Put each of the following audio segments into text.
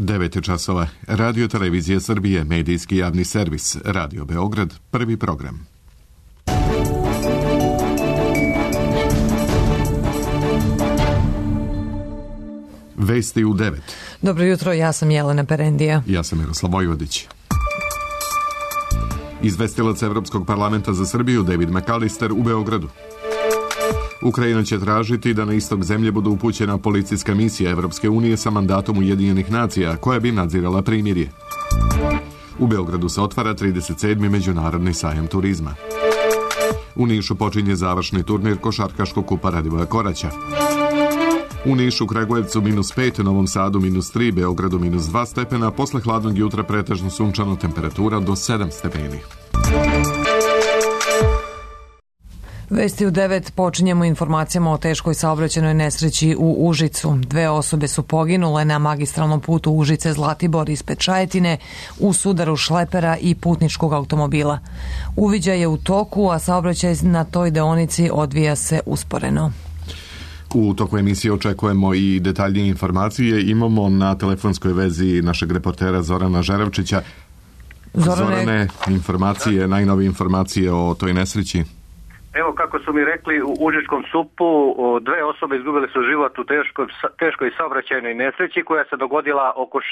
9 časova. Radio Televizija Srbije, medijski javni servis. Radio Beograd, prvi program. Vesti u 9. Dobro jutro, ja sam Jelena Perendija. Ja sam Miroslav Vojvodić. Izvestilac Evropskog parlamenta za Srbiju David McAllister u Beogradu. Ukrajina će tražiti da na istok zemlje bude upućena policijska misija Evropske unije sa mandatom Ujedinjenih nacija, koja bi nadzirala primirje. U Beogradu se otvara 37. međunarodni sajam turizma. U Nišu počinje završni turnir košarkaškog kupa Radivoja Koraća. U Nišu, Kragujevcu -5, Novom Sadu -3, Beogradu -2 stepena, posle hladnog jutra pretežno sunčano, temperatura do 7 stepeni. Vesti u 9 počinjemo informacijama o teškoj saobraćajnoj nesreći u Užicu. 2 osobe su poginule na magistralnom putu Užice-Zlatibor ispred Čajetine u sudaru šlepera i putničkog automobila. Uviđaj je u toku, a saobraćaj na toj deonici odvija se usporeno. U toku emisije očekujemo i detaljnije informacije. Imamo na telefonskoj vezi našeg reportera Zorana Žerevčića. Zorane, informacije, najnovije informacije o toj nesreći. Evo, kako su mi rekli, u Užičkom SUP-u 2 osobe izgubile su život u teškoj saobraćajnoj nesreći koja se dogodila oko 6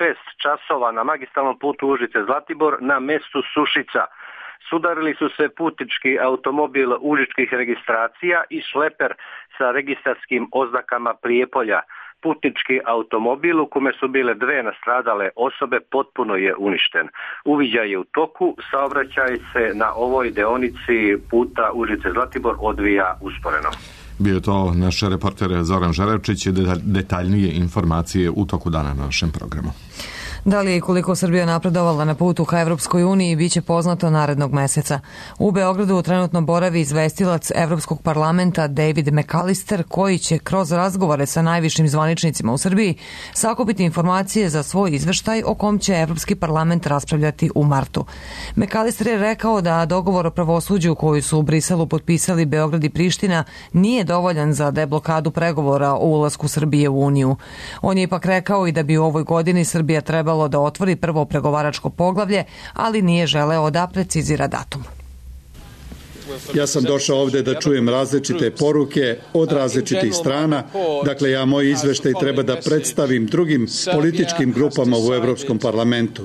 časova na magistralnom putu Užice-Zlatibor na mestu Sušica. Sudarili su se putnički automobil užičkih registracija i šleper sa registarskim oznakama Prijepolja. Putnički automobil u kome su bile 2 nastradale osobe potpuno je uništen. Uviđaj je u toku, saobraćaj se na ovoj deonici puta Užice-Zlatibor odvija usporeno. Bio je to naš reporter Zoran Žerevčić, detaljnije informacije u toku dana na našem programu. Da li je i koliko Srbija napredovala na putu ka Evropskoj uniji biće poznato narednog meseca. U Beogradu trenutno boravi izvestilac Evropskog parlamenta David McAllister, koji će kroz razgovore sa najvišim zvaničnicima u Srbiji sakupiti informacije za svoj izveštaj o kom će Evropski parlament raspravljati u martu. McAllister je rekao da dogovor o pravosuđu koji su u Briselu potpisali Beograd i Priština nije dovoljan za deblokadu pregovora o ulasku Srbije u Uniju. On je ipak rekao i da bi u ovoj godini Srbija trebala da otvori prvo pregovaračko poglavlje, ali nije želeo da precizira datum. Ja sam došao ovde da čujem različite poruke od različitih strana. Dakle, ja moj izveštaj treba da predstavim drugim političkim grupama u Evropskom parlamentu.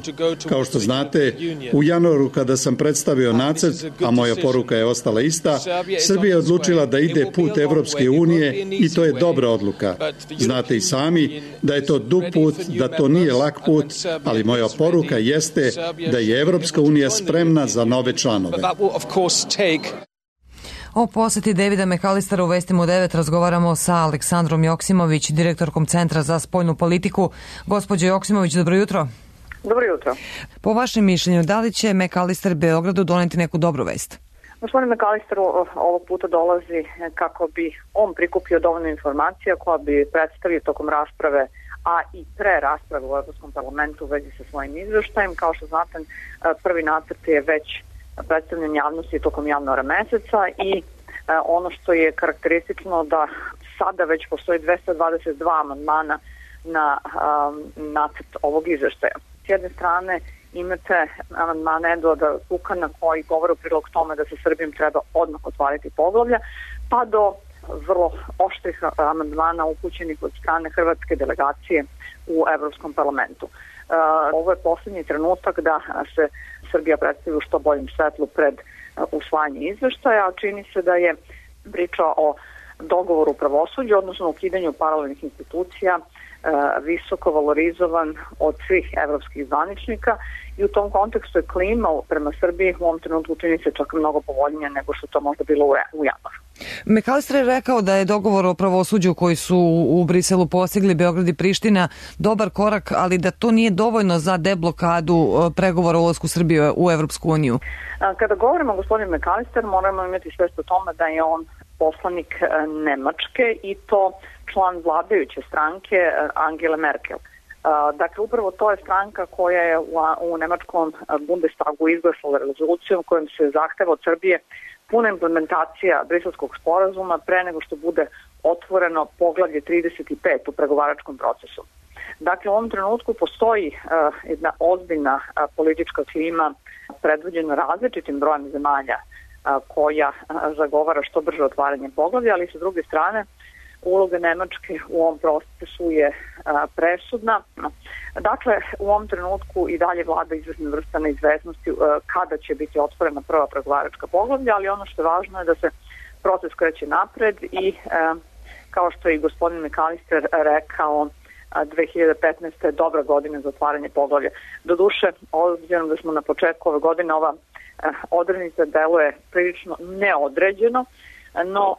Kao što znate, u januaru kada sam predstavio nacrt, a moja poruka je ostala ista, Srbija je odlučila da ide put Evropske unije i to je dobra odluka. Znate i sami da je to dug put, da to nije lak put, ali moja poruka jeste da je Evropska unija spremna za nove članove. O poseti Davida McAllistera u Vestima u 9 razgovaramo sa Aleksandrom Joksimović, direktorkom Centra za spoljnu politiku. Gospođo Joksimović, dobro jutro. Dobro jutro. Po vašem mišljenju, da li će McAllister Beogradu doneti neku dobru vest? Gospodin McAllister ovog puta dolazi kako bi on prikupio dovoljno informacija koja bi predstavio tokom rasprave, a i pre rasprave u Evropskom parlamentu u vezi sa svojim izveštajem. Kao što znate, prvi nacrt je već predstavljen javnosti tokom januara meseca i ono što je karakteristično da sada već postoji 222 amandmana na nacrt ovog izveštaja. S jedne strane imate amandmane Eduarda Kukana koji govore u prilog tome da se Srbijom treba odmah otvariti poglavlja, pa do vrlo oštrih amandmana upućenih od strane hrvatske delegacije u Evropskom parlamentu. Ovo je poslednji trenutak da se Srbija predstavi u što boljem svetlu pred usvajanje izveštaja, a čini se da je priča o dogovoru u pravosuđu, odnosno ukidanju paralelnih institucija, visoko valorizovan od svih evropskih zvaničnika i u tom kontekstu je klima prema Srbiji u ovom trenutku čini se čak mnogo povoljnije nego što to možda bilo u januaru. McAllister je rekao da je dogovor o pravosuđu koji su u Briselu postigli Beograd i Priština dobar korak, ali da to nije dovoljno za deblokadu pregovora o ulasku Srbije u Evropsku uniju. Kada govorimo o gospodinu McAllister, moramo imati svest o tome da je on poslanik Nemačke i to član vladajuće stranke Angele Merkel. Dakle, upravo to je stranka koja je u nemačkom Bundestagu izglasala rezolucijom kojom se zahteva od Srbije puna implementacija Briselskog sporazuma pre nego što bude otvoreno poglavlje 35 u pregovaračkom procesu. Dakle, u ovom trenutku postoji jedna ozbiljna politička klima predvođena različitim brojem zemalja koja zagovara što brže otvaranje poglavlja, ali sa druge strane uloga Nemačke u ovom procesu je presudna. Dakle, u ovom trenutku i dalje vlada izvršna vrsta neizvesnosti kada će biti otvorena prva pregovaračka poglavlja, ali ono što je važno je da se proces kreće napred i kao što je i gospodin McAllister rekao, 2015. je dobra godina za otvaranje poglavlja. Doduše, obzirom da smo na početku ove godine, ova odrednica deluje prilično neodređeno, no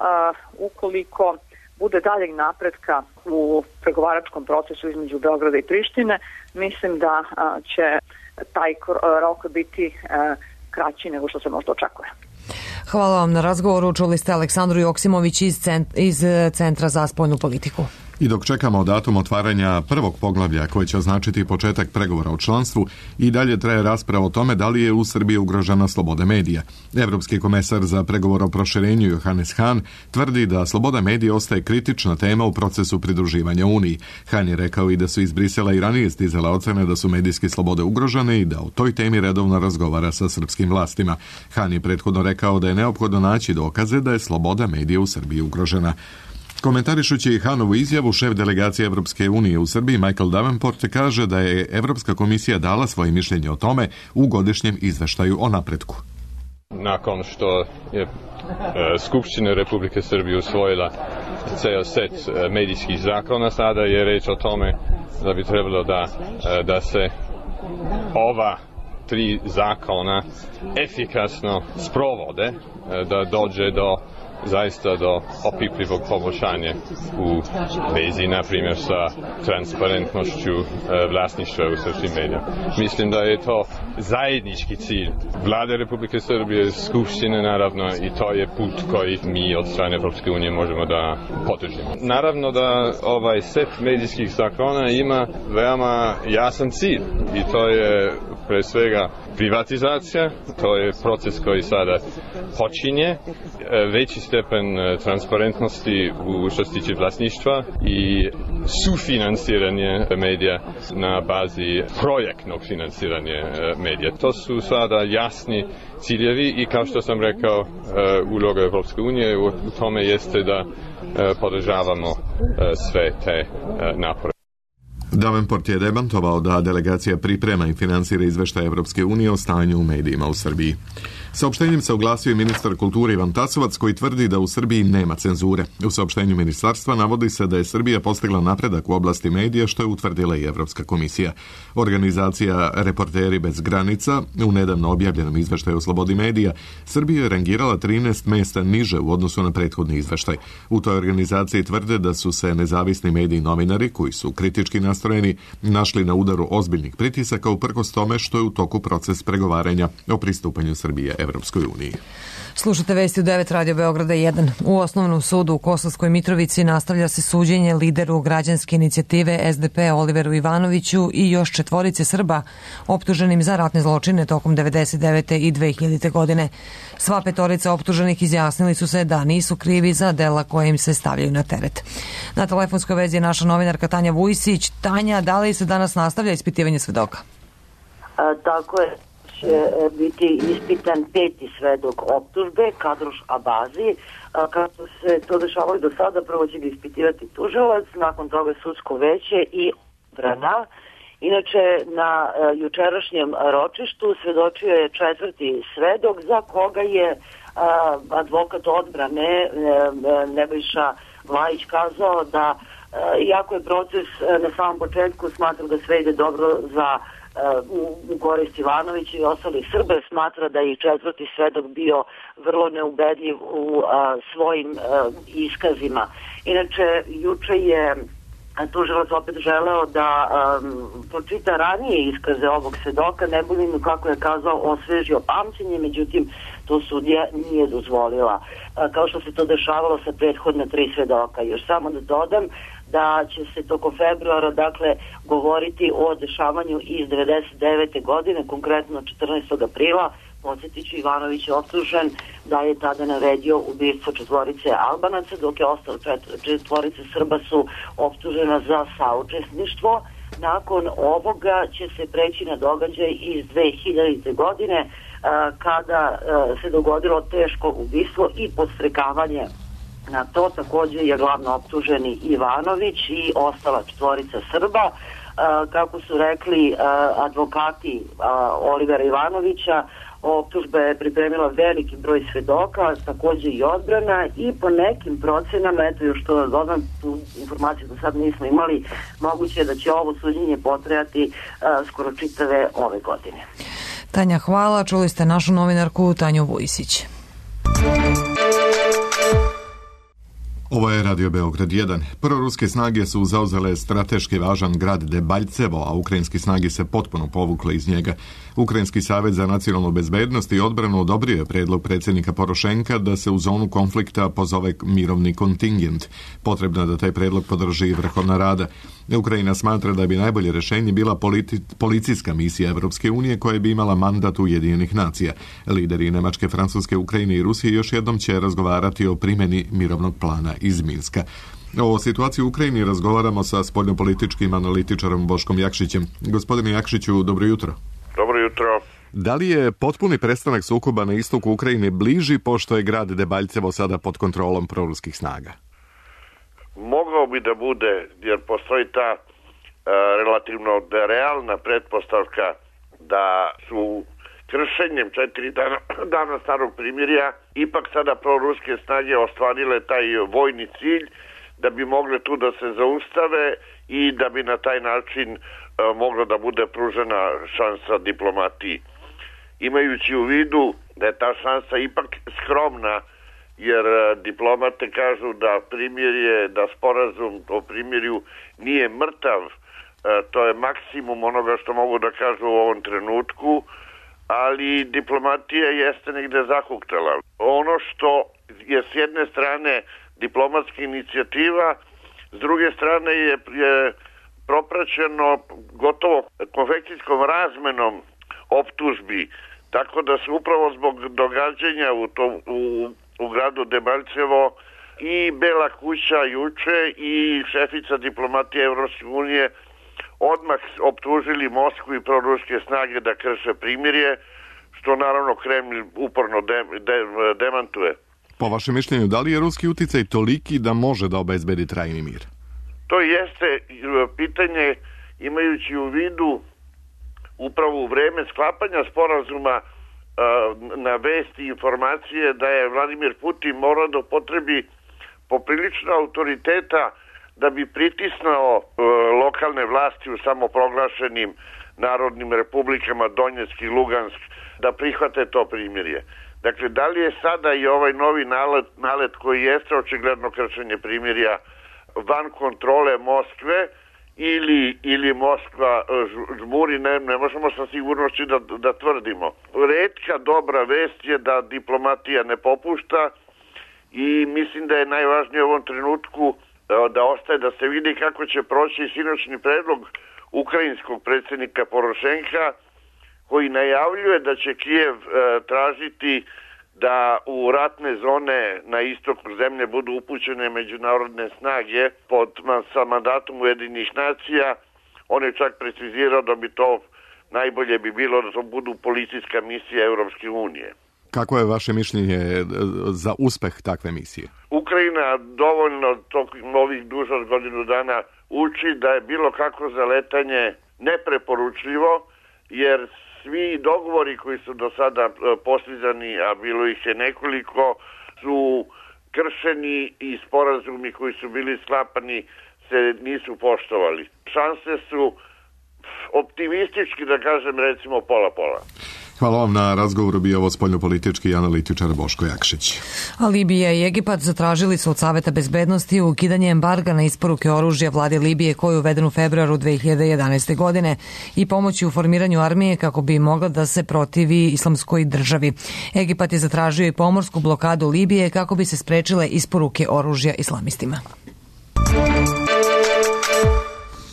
ukoliko bude daljeg napretka u pregovaračkom procesu između Beograda i Prištine, mislim da će taj rok biti kraći nego što se možda očekuje. Hvala vam na razgovoru. Čuli ste Aleksandru Joksimović iz Centra za spoljnu politiku. I dok čekamo datum otvaranja prvog poglavlja koje će označiti početak pregovora o članstvu, i dalje traje rasprava o tome da li je u Srbiji ugrožena sloboda medija. Evropski komesar za pregovor o proširenju Johannes Hahn tvrdi da sloboda medija ostaje kritična tema u procesu pridruživanja Uniji. Hahn je rekao i da su iz Brisela i ranije stizale ocene da su medijske slobode ugrožene i da o toj temi redovno razgovara sa srpskim vlastima. Hahn je prethodno rekao da je neophodno naći dokaze da je sloboda medija u Srbiji ugrožena. Komentarišući Hahnovu izjavu, šef delegacije Evropske unije u Srbiji Michael Davenport kaže da je Evropska komisija dala svoje mišljenje o tome u godišnjem izveštaju o napretku. Nakon što je Skupština Republike Srbije usvojila ceo set medijskih zakona, sada je reč o tome da bi trebalo da se ova 3 zakona efikasno sprovode, da dođe zaista do opipljivog poboljšanja u vezi, na primjer, sa transparentnošću vlasništva u srpskim medijima. Mislim da je to zajednički cilj Vlade Republike Srbije, Skupštine naravno, i to je put koji mi od strane Evropske unije možemo da podržimo. Naravno da ovaj set medijskih zakona ima veoma jasan cilj i to je pre svega privatizacija, to je proces koji sada počinje, veći stepen transparentnosti u što se tiče vlasništva i sufinansiranje medija na bazi projektnog finansiranja medija. To su sada jasni ciljevi i kao što sam rekao, uloga Evropske unije u tome jeste da podržavamo sve te napore. Davenport je demantovao da delegacija priprema i finansira izveštaj Evropske unije o stanju u medijima u Srbiji. Saopštenjem se oglasio i ministar kulture Ivan Tasovac, koji tvrdi da u Srbiji nema cenzure. U saopštenju ministarstva navodi se da je Srbija postigla napredak u oblasti medija, što je utvrdila i Evropska komisija. Organizacija Reporteri bez granica u nedavno objavljenom izveštaju o slobodi medija Srbija je rangirala 13 mesta niže u odnosu na prethodni izveštaj. U toj organizaciji tvrde da su se nezavisni mediji novinari, koji su kritički nastrojeni, našli na udaru ozbiljnih pritisaka uprkos tome što je u toku proces pregovaranja o pristupanju Srbije Evropskoj uniji. Slušate vesti u 9 Radio Beograda 1. U Osnovnom sudu u Kosovskoj Mitrovici nastavlja se suđenje lideru građanske inicijative SDP Oliveru Ivanoviću i još 4 Srba optuženim za ratne zločine tokom 1999. i 2000. godine. Sva 5 optuženih izjasnili su se da nisu krivi za dela koje im se stavljaju na teret. Na telefonskoj vezi je naša novinarka Tanja Vujsić. Tanja, da li se danas nastavlja ispitivanje svedoka? Tako je. Će biti ispitan 5. svedok optužbe, Kadroš Abazi. Kako se to dešavalo do sada, prvo će ga ispitivati tužilac, nakon toga sudsko veće i odbrana. Inače, na jučerašnjem ročištu svedočio je 4. svedok za koga je advokat odbrane Nebojša Vlajić kazao da iako je proces na samom početku, smatra da sve ide dobro za u korist Ivanovića i ostalih Srba, smatra da je i 4. svedok bio vrlo neubedljiv u svojim iskazima. Inače, juče je tužilac opet želeo da pročita ranije iskaze ovog svedoka, ne budem, kako je kazao, osvežio pamćenje, međutim to sudija nije dozvolila, kao što se to dešavalo sa prethodna 3 svedoka. Još samo da dodam da će se tokom februara, dakle, govoriti o dešavanju iz 1999. godine, konkretno 14. aprila. Podsjetiću, Ivanović je optužen da je tada naredio ubistvo 4 Albanaca, dok je ostalo 4 Srba su optužena za saučesništvo. nakon ovoga će se preći na događaj iz 2000. godine kada se dogodilo teško ubistvo i podstrekavanje na to. Također je glavno optuženi Ivanović i ostala 4 Srba. Kako su rekli advokati Olivera Ivanovića, optužba je pripremila veliki broj svedoka, također i odbrana, i po nekim procenama, eto još to da dodam, tu informaciju do sad nismo imali, moguće je da će ovo suđenje potrajati skoro čitave ove godine. Tanja, hvala. Čuli ste našu novinarku Tanju Vujisić. Ovo je Radio Beograd 1. Proruske snage su zauzele strateški važan grad Debaljevo, a ukrajinski snage se potpuno povukle iz njega. Ukrajinski savez za nacionalnu bezbednost i odbranu odobrio je predlog predsjednika Porošenka da se u zonu konflikta pozove mirovni kontingent. Potrebno je da taj predlog podrži Vrhovna Rada. Ukrajina smatra da bi najbolje rješenje bila policijska misija Evropske unije koja bi imala mandat Ujedinjenih nacija. Lideri Nemačke, Francuske, Ukrajine i Rusije još jednom će razgovarati o primjeni mirovnog plana iz Minska. O situaciji u Ukrajini razgovaramo sa spoljnopolitičkim analitičarom Boškom Jakšićem. Gospodine Jakšiću, dobro jutro. Dobro jutro. Da li je potpuni prestanak sukoba na istoku Ukrajine bliži pošto je grad Debaljevo sada pod kontrolom proruskih snaga? Mogao bi da bude, jer postoji ta relativno realna pretpostavka da su kršenjem 4 dana starog primirja ipak sada proruske snage ostvarile taj vojni cilj da bi mogle tu da se zaustave i da bi na taj način mogla da bude pružena šansa diplomatiji. Imajući u vidu da je ta šansa ipak skromna, jer diplomate kažu da primirje, da sporazum o primirju nije mrtav, to je maksimum onoga što mogu da kažu u ovom trenutku, ali diplomatija jeste negde zahuktala. Ono što je s jedne strane diplomatska inicijativa, s druge strane je propraćeno gotovo konfekcijskom razmenom optužbi, tako da se upravo zbog događanja u gradu Debaljevo i Bela kuća juče i šefica diplomatije Evropske unije odmah optužili Moskvu i proruske snage da krše primirje, što naravno Kremlj uporno demantuje. Po vašem mišljenju, da li je ruski uticaj toliki da može da obezbedi trajni mir? To jeste pitanje, imajući u vidu upravo u vreme sklapanja sporazuma na vesti i informacije da je Vladimir Putin morao da upotrebi poprilično autoriteta da bi pritisnao lokalne vlasti u samoproglašenim narodnim republikama Donjeck i Lugansk da prihvate to primirje. Dakle, da li je sada i ovaj novi nalet koji jeste očigledno kršenje primirja van kontrole Moskve ili Moskva žmuri, ne možemo sa sigurnošću da tvrdimo. Retka dobra vest je da diplomatija ne popušta i mislim da je najvažnije u ovom trenutku da ostaje da se vidi kako će proći sinoćni predlog ukrajinskog predsjednika Porošenka, koji najavljuje da će Kijev tražiti da u ratne zone na istoku zemlje budu upućene međunarodne snage sa mandatom Ujedinjenih nacija. On je čak precizirao da bi to najbolje bi bilo da to budu policijska misija Evropske unije. Kako je vaše mišljenje za uspeh takve misije? Ukrajina dovoljno ovih duže od godinu dana uči da je bilo kako zaletanje nepreporučljivo, jer svi dogovori koji su do sada postizani, a bilo ih je nekoliko, su kršeni i sporazumi koji su bili sklapani se nisu poštovali. Šanse su optimistički, da kažem, recimo pola-pola. Hvala vam na razgovoru, bio ovo spoljnopolitički analitičar Boško Jakšić. A Libija i Egipat zatražili su od Saveta bezbednosti ukidanje embarga na isporuke oružja vladi Libije koji je uveden u februaru 2011. godine i pomoći u formiranju armije kako bi mogla da se protivi islamskoj državi. Egipat je zatražio i pomorsku blokadu Libije kako bi se sprečile isporuke oružja islamistima.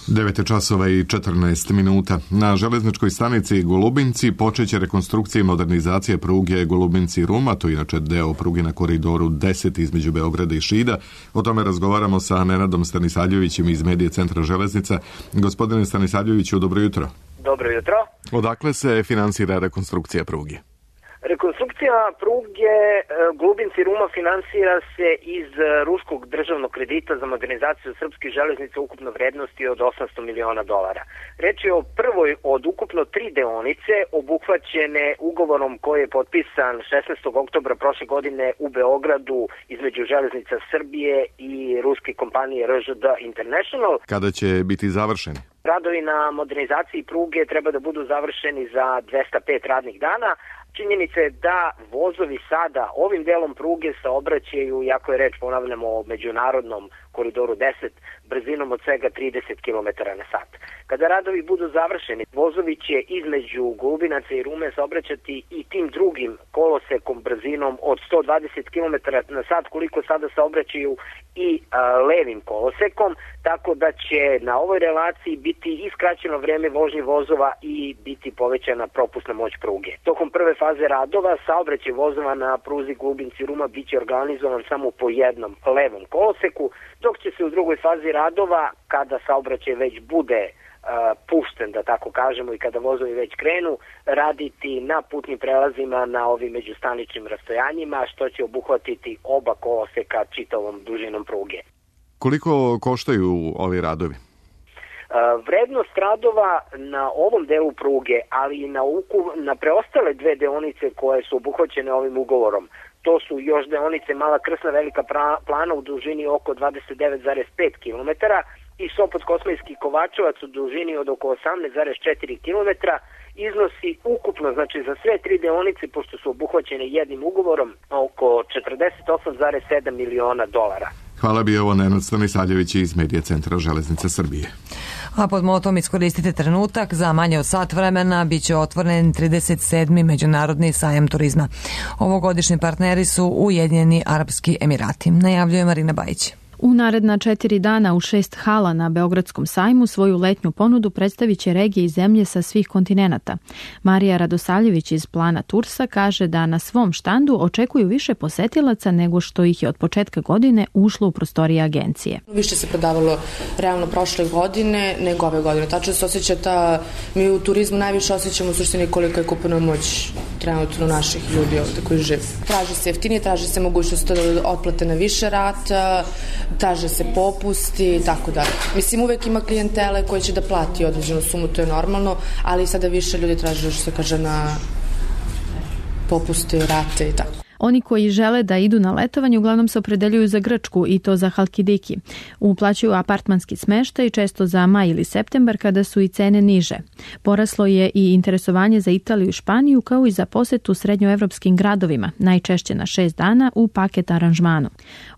9 časova i 14 minuta. Na železničkoj stanici Golubinci počeće rekonstrukcija i modernizacija pruge Golubinci-Ruma, to je inače deo pruge na koridoru 10 između Beograda i Šida. O tome razgovaramo sa Nenadom Stanisavljevićem iz Medije centra železnica. Gospodine Stanisavljeviću, dobro jutro. Dobro jutro. Odakle se finansira rekonstrukcija pruge? Rekonstrukcija pruge Golubinci-Ruma finansira se iz ruskog državnog kredita za modernizaciju srpskih železnica ukupno vrednosti od $800 miliona. Reč je o prvoj od ukupno 3 deonice obuhvaćene ugovorom koji je potpisan 16. oktobra prošle godine u Beogradu između Železnica Srbije i ruske kompanije RŽD International. Kada će biti završeni? Radovi na modernizaciji pruge treba da budu završeni za 205 radnih dana. Činjenica je da vozovi sada ovim delom pruge saobraćaju, iako je reč, ponavljamo, o međunarodnom koridoru 10, brzinom od svega 30 km na sat. Kada radovi budu završeni, vozovi će između Golubinaca i Rume saobraćati i tim drugim kolosekom brzinom od 120 km na sat, koliko sada saobraćaju i levim kolosekom, tako da će na ovoj relaciji biti iskraćeno vreme vožnje vozova i biti povećana propusna moć pruge. Tokom prve faze radova saobraćaj vozova na pruzi Golubinci-Ruma biće organizovan samo po jednom levom koloseku, dok će se u drugoj fazi radova, kada saobraćaj već bude pušten, da tako kažemo, i kada vozovi već krenu, raditi na putnim prelazima na ovim međustaničnim rastojanjima, što će obuhvatiti oba koloseka čitavom dužinom pruge. Koliko koštaju ovi radovi? Vrednost radova na ovom delu pruge, ali i na preostale 2 deonice koje su obuhvaćene ovim ugovorom, to su još deonice Mala Krsna, Velika Plana u dužini oko 29,5 km i Sopot-Kosmajski Kovačevac u dužini od oko 18,4 km, iznosi ukupno, znači za sve 3 deonice, pošto su obuhvaćene jednim ugovorom, oko $48,7 miliona. Hvala, bio ovo Nenad Stanisavljević iz Medije centra železnice Srbije. A pod motom iskoristite trenutak, za manje od sat vremena biće otvoren 37. Međunarodni sajam turizma. Ovogodišnji partneri su Ujedinjeni Arapski Emirati, najavljuje Marina Bajić. U naredna 4 dana u 6 hala na Beogradskom sajmu svoju letnju ponudu predstavit će regije i zemlje sa svih kontinenata. Marija Radosavljević iz Plana Tursa kaže da na svom štandu očekuju više posetilaca nego što ih je od početka godine ušlo u prostorije agencije. Više se prodavalo realno prošle godine nego ove godine. Tačno se osjeća mi u turizmu najviše osjećamo u suštini koliko je kupovna moć trenutno naših ljudi ovde koji žive. Traži se jeftinije, traži se mogućnost otplate na više rata, traže se popusti i tako dalje. Mislim, uvek ima klijentele koji će da plati određenu sumu, to je normalno, ali sada više ljudi traže, što se kaže, na popuste, rate i tako. Oni koji žele da idu na letovanje uglavnom se opredeljuju za Grčku i to za Halkidiki. Uplaćuju apartmanski smeštaj često za maj ili septembar kada su i cene niže. Poraslo je i interesovanje za Italiju i Španiju kao i za posetu srednjoevropskim gradovima, najčešće na 6 dana u paket aranžmanu.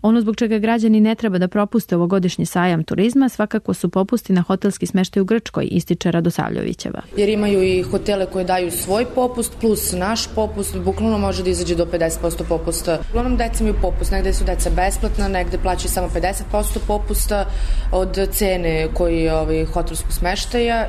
Ono zbog čega građani ne treba da propuste ovogodišnji sajam turizma svakako su popusti na hotelski smeštaj u Grčkoj, ističe Radosavljevićeva. Jer imaju i hotele koje daju svoj popust plus naš popust, bukvalno može da izađe do 50% popusta. Uglavnom deca imaju popust, negde su deca besplatna, negde plaćaju samo 50% popusta od cene koji hotelskog smeštaja.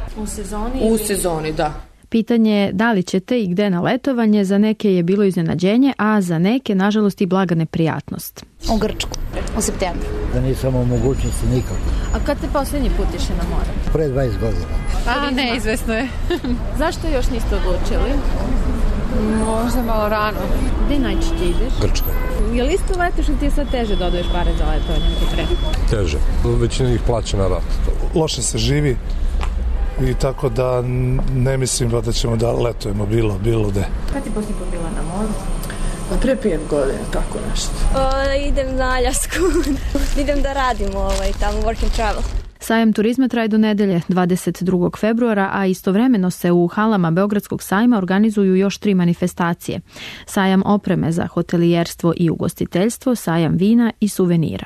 U sezoni, da. Pitanje je da li ćete i gde na letovanje, za neke je bilo iznenađenje, a za neke, nažalost, i blaga neprijatnost. U Grčku, u septembru. Da nisam u mogućnosti nikako. A kad ste poslednji put išli na more? Pre 20 godina. A, neizvesno je. Zašto još niste odlučili? Možda malo rano. Gde najčešće ideš? Grčka. Je li isto letiš ili ti je sad teže da odvoješ pare za letovanje nego pre? Teže. Većina ih plaća na rat. Loše se živi i tako da ne mislim da ćemo da letujemo bilo gde. Kad ti posljednji put bila na moru? Pre 5 godina, tako nešto. Idem na Aljasku. Idem da radim tamo work and travel. Sajam turizma traje do nedelje 22. februara, a istovremeno se u halama Beogradskog sajma organizuju još 3 manifestacije. Sajam opreme za hotelijerstvo i ugostiteljstvo, sajam vina i suvenira.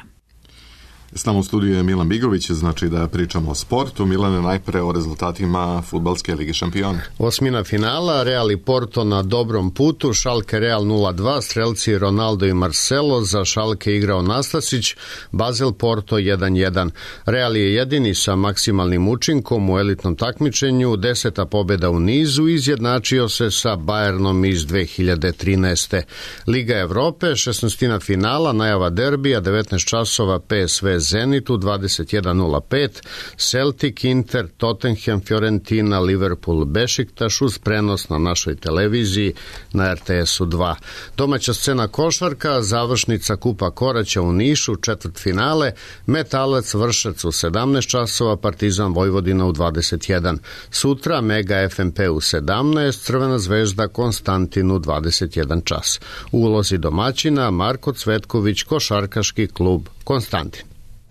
S nama u studiju je Milan Bigović, znači da pričamo o sportu. Milane, najpre o rezultatima Fudbalske lige šampiona. Osmina finala, Real i Porto na dobrom putu, Schalke Real 0-2, strelci Ronaldo i Marcelo, za Schalke igrao Nastasić, Basel Porto 1-1. Real je jedini sa maksimalnim učinkom u elitnom takmičenju, 10. pobjeda u nizu, izjednačio se sa Bayernom iz 2013. Liga Evrope, 16. finala, najava derbija, 19 časova, PSV Zenitu 21:05, Celtic, Inter, Tottenham, Fiorentina, Liverpool, Bešiktaš uz prenos na našoj televiziji na RTS-u 2. Domaća scena košarka, završnica Kupa Koraća u Nišu, četvrtfinale, Metalac Vršac u 17 časova, Partizan Vojvodina u 21. Sutra Mega FNP u 17, Crvena zvezda Konstantin u 21 čas. U ulozi domaćina Marko Cvetković, košarkaški klub Konstantin.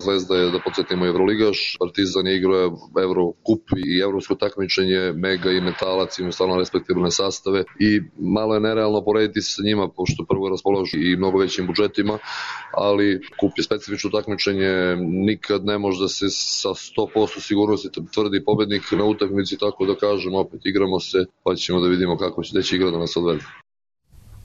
Zvezda je, da podsjetimo, Evroligaš, Partizan je igrao Evrokup i evropsko takmičenje, Mega i Metalac imaju stvarno respektabilne sastave i malo je nerealno porediti se sa njima, pošto prvo raspolažu i mnogo većim budžetima, ali kup je specifično takmičenje, nikad ne može da se sa 100% sigurnosti tvrdi pobednik na utakmici, tako da kažem, opet igramo se, pa ćemo da vidimo kako će igra da nas odvede.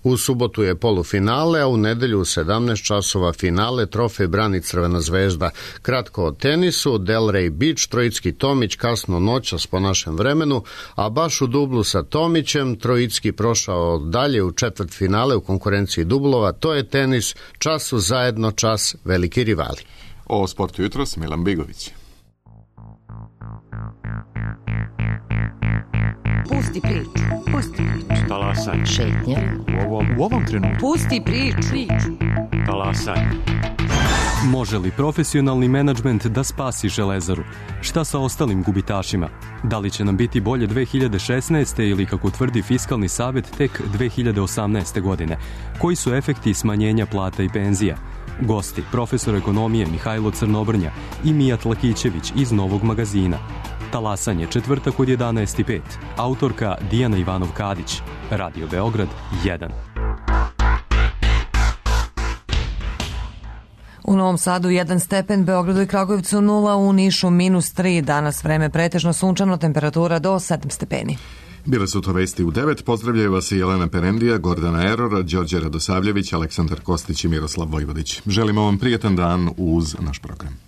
U subotu je polufinale, a u nedelju u 17 časova finale, trofej brani Crvena zvezda. Kratko o tenisu, Delray Beach, Trojicki Tomić kasno noćas po našem vremenu, a baš u dublu sa Tomićem Trojicki prošao dalje u četvrtfinale u konkurenciji dublova. To je tenis, čas su zajedno, čas veliki rivali. O sportu jutros Milan Bigović. Pusti priču. Talasaj. Šetnja. U ovom trenutku. Pusti priču. Talasaj. Može li profesionalni menadžment da spasi Železaru? Šta sa ostalim gubitašima? Da li će nam biti bolje 2016. ili, kako tvrdi Fiskalni savet, tek 2018. godine? Koji su efekti smanjenja plata i penzija? Gosti, profesor ekonomije Mihajlo Crnobrnja i Mijat Lakićević iz Novog magazina. Talasanje, četvrtak od 11:05. Autorka Dijana Ivanov-Kadić. Radio Beograd 1. U Novom Sadu 1 stepen, Beogradu i Kragujevcu 0, u Nišu -3. Danas vreme pretežno sunčano, temperatura do 7 stepeni. Bile su to vesti u 9. Pozdravljaju vas i Jelena Perendija, Gordana Eror, Đorđe Radosavljević, Aleksandar Kostić i Miroslav Vojvodić. Želimo vam prijetan dan uz naš program.